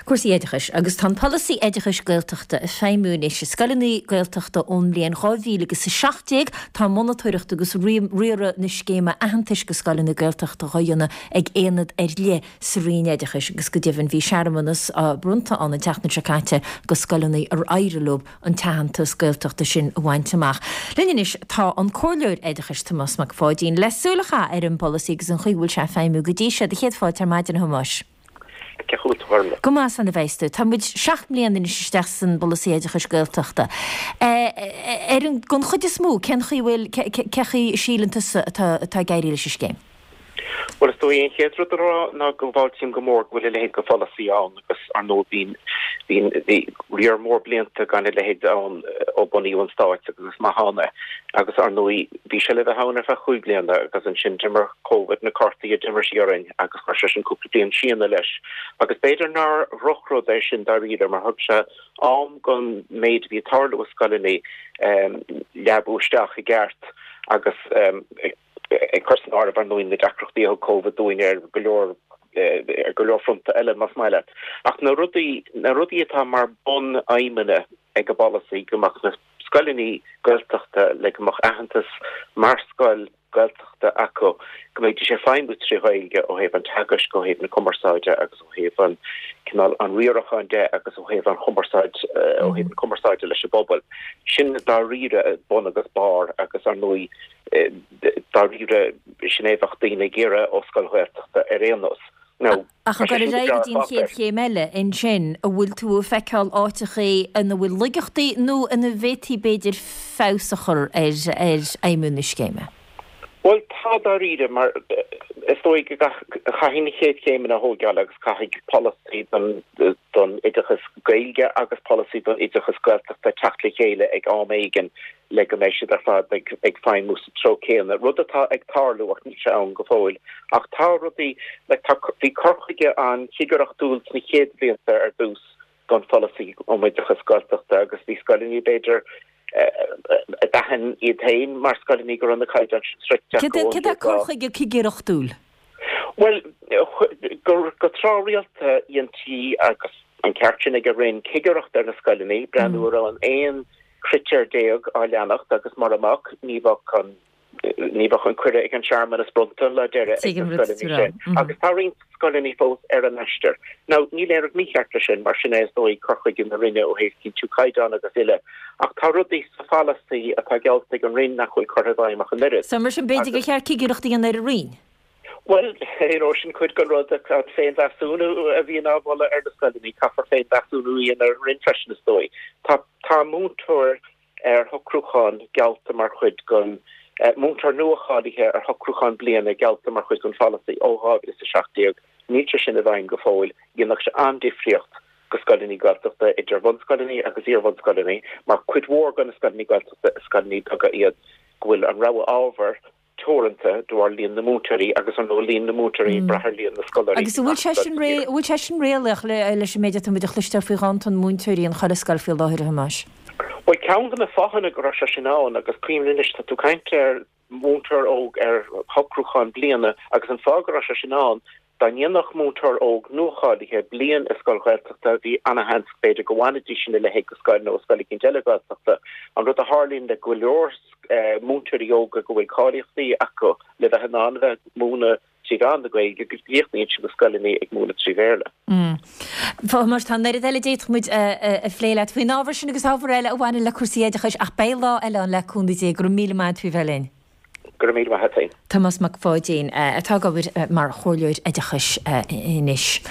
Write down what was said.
Cúrsaí oideachais, Agus tá an polasaí oideachais Gaeltachta ag feidhmiú anois i scoileanna Gaeltachta ón mbliain 2000 agus 17, tá monatóireacht agus riaradh na scéime aitheantais go scoileanna Gaeltachta dhá dhéanamh ag aonad ar leith sa Roinn Oideachais agus go deimhin bhí searmanas bronnta ann an tseachtain seo caite go scoileanna ar éirigh leo an t-aitheantas Gaeltachta sin a bhaint amach. Linn anois tá an Comhairleoir Oideachais Tomás Mac Pháidín le súil a chaitheamh ar an bpolasaí agus an chaoi a bhfuil sé ag feidhmiú go dtí seo. Do chéad fáilte ar maidin a Thomáis. Cén chaoi a bhfuil tú, a Ghormfhlaith? Go maith, slán a bheas tú. Tá muid 7 mbliana anois isteach san bpolasaí oideachais Gaeltachta. Ar an, don chuid is mó, cén chaoi a bhfuil, cé chaoi a síleann tusa atá, atá ag éirí leis an scéim? Bhuel, is dóigh an chéad rud a rá ná go bhfáiltím go mór go bhfuil a leithéid de pholasaí ann agus, ar ndóigh, bhí, bhí, bhí riar mór blianta gan a leithéid ann ó bunaíodh an Stát agus is maith ann é. Agus, ar ndóigh, bhí sé le bheith ann ar feadh chúig bliana agus ansin d'imir Covid na cártaí a d'imir sí orainn agus chuir sé sin cúpla bliain síneadh leis. Agus b'fhéidir nár dhrochrud é sin dáiríre mar thug sé am don méid a bhí ag tarlú i scoileanna leabú isteach i gceart agus ag cur san áireamh ar ndóigh na deacrachtaí a thug Covid dúinn ar go leor ar go leor fronta eile más maith leat. Ach na rudaí na rudaí atá mar bun-aidhmeanna ag an bpolasaí go mbeadh na scoileanna Gaeltachta le go mbeadh aitheantas mar scoil Gaeltachta acu, go mbeidís ag feidhmiú trí Ghaeilge ó thaobh an teagaisc, ó thaobh na cumarsáide agus ó thaobh an cineál an riaracháin de agus ó thaobh an chumarsáid, ó thaobh na cumarsáide leis an bpobal. Sin dáiríre bun agus barr agus ar ndóigh dáiríre sin é a bheadh daoine ag iarraidh ó scoil Ghaeltachta ar aon nós. Now, Ach ag dul ar aghaidh go dtí an chéad chéim eile ansin, an bhfuil tú ag feiceáil áiteachaí ina bhfuil laigeachtaí nó ina bhféadfaí b'fhéidir feabhas a chur ar fheidhmiú na scéime? Bhuel, tá dáiríre, mar is dóigh go caithfidh na chéad chéimeanna a thógáil agus caithfidh polasaí don oideachas Gaeilge agus polasaí don oideachas Gaeltachta teacht le chéile ag am éigin le go mbeidh siad ar fad ag feidhmiú sa treo céanna, rud atá ag tarlú ach níl sé ann go fóill. Ach tá rudaí, like tá, bhí cur chuige an-chigireachtúil sna chéad bhlianta ar dtús don pholasaí um oideachas Gaeltachta agus bhí scoileanna b'fhéidir a d'aithin iad féin mar scoileanna go raibh na caighdeáin sin sroichte acu ón Céard é cur chuige cigireachtúil? Bhuel, go tráthrialta dheintí agus an ceart sin ag an Roinn cigireacht ar na scoileanna, breathnú an raibh an 11 critéar á leanacht agus mura mbeadh, ní bheadh an ní bheadh an cuireadh ag an searmanas bronnta an lá deiridh ag na scoileanna sin. Agus tá roinnt scoileanna fós ar an aistear. Now, níl aon rud mícheart leis sin, mar sin é is dóigh cur chuige na Roinne ó thaobh cinntiú caighdeán agus uile. Ach tá rudaí sa pholasaí atá geallta ag an Roinn nach bhfuil curtha i bhfeidhm ach an oiread. So mar sin b'fhéidir gur cheart cigireacht a dhéanamh ar an Roinn? Bhuel, you know, sin cuid den rud, an féinmheasúnú a bhíonn á mholadh ar na scoileanna, caithfear féinmheasúnú a dhéanamh ar an Roinn freisin, is dóigh. Tá, tá múinteoir ar shocrúchán geallta mar chuid den, múinteoir nuacháilithe ar shocrúchán bliana geallta mar chuid den pholasaí ó 2017. Níl sé sin i bhfeidhm go fóill. Dhéanfadh sé an-difríocht go scoileanna Gaeltachta, idir bhunscoileanna agus iarbhunscoileanna, mar cuid mhór de na scoileanna Gaeltachta is scoileanna beaga iad go bhfuil an rogha ábhar teoranta de bharr líon na múinteoirí agus ar ndóigh líon na múinteoirí ag brath ar líon na scoláirí Agus an bhfuil sé sin ré, an bhfuil sé sin réalaíoch leis an méid atá muid a chloisteáil faoi ghanntan múinteoirí in chuile scoil faoi láthair, a Thomáis? Bhuel, ceann de na fáthanna go raibh sé sin ann, agus cuimhnigh anois, tá tú ag caint ar mhúinteoir óg ar shocrúchán bliana, agus an fáth go raibh sé sin ann, Dá ndéanfadh múinteoir óg nuacháilithe bliain i scoil Ghaeltachta, bhí ana-sheans b'fhéidir go bhfanfaidís ina leithéid de scoil nó i scoil eicínt eile Gaeltachta. An rud a tharlaíonn le go leor múinteoirí óga go bhfuil cáilíochtaí acu le bheith in ann a bheith ag múineadh trí mheán na Gaeilge go gcríochnaíonn siad na scoileanna ag múineadh trí Bhéarla. A Thomáis, tá an oiread eile a d'fhéadfadh muid a phlé leat faoin ábhar sin agus ábhar eile a bhaineann le cúrsaí oideachais ach beidh lá eile ann le cúnamh Dé. Go raibh míle maith agat faoi bheith linn. Go raibh míle maith a't féin. Tomás Mac Pháidín, atá ag obair mar chomhairleoir oideachais anois.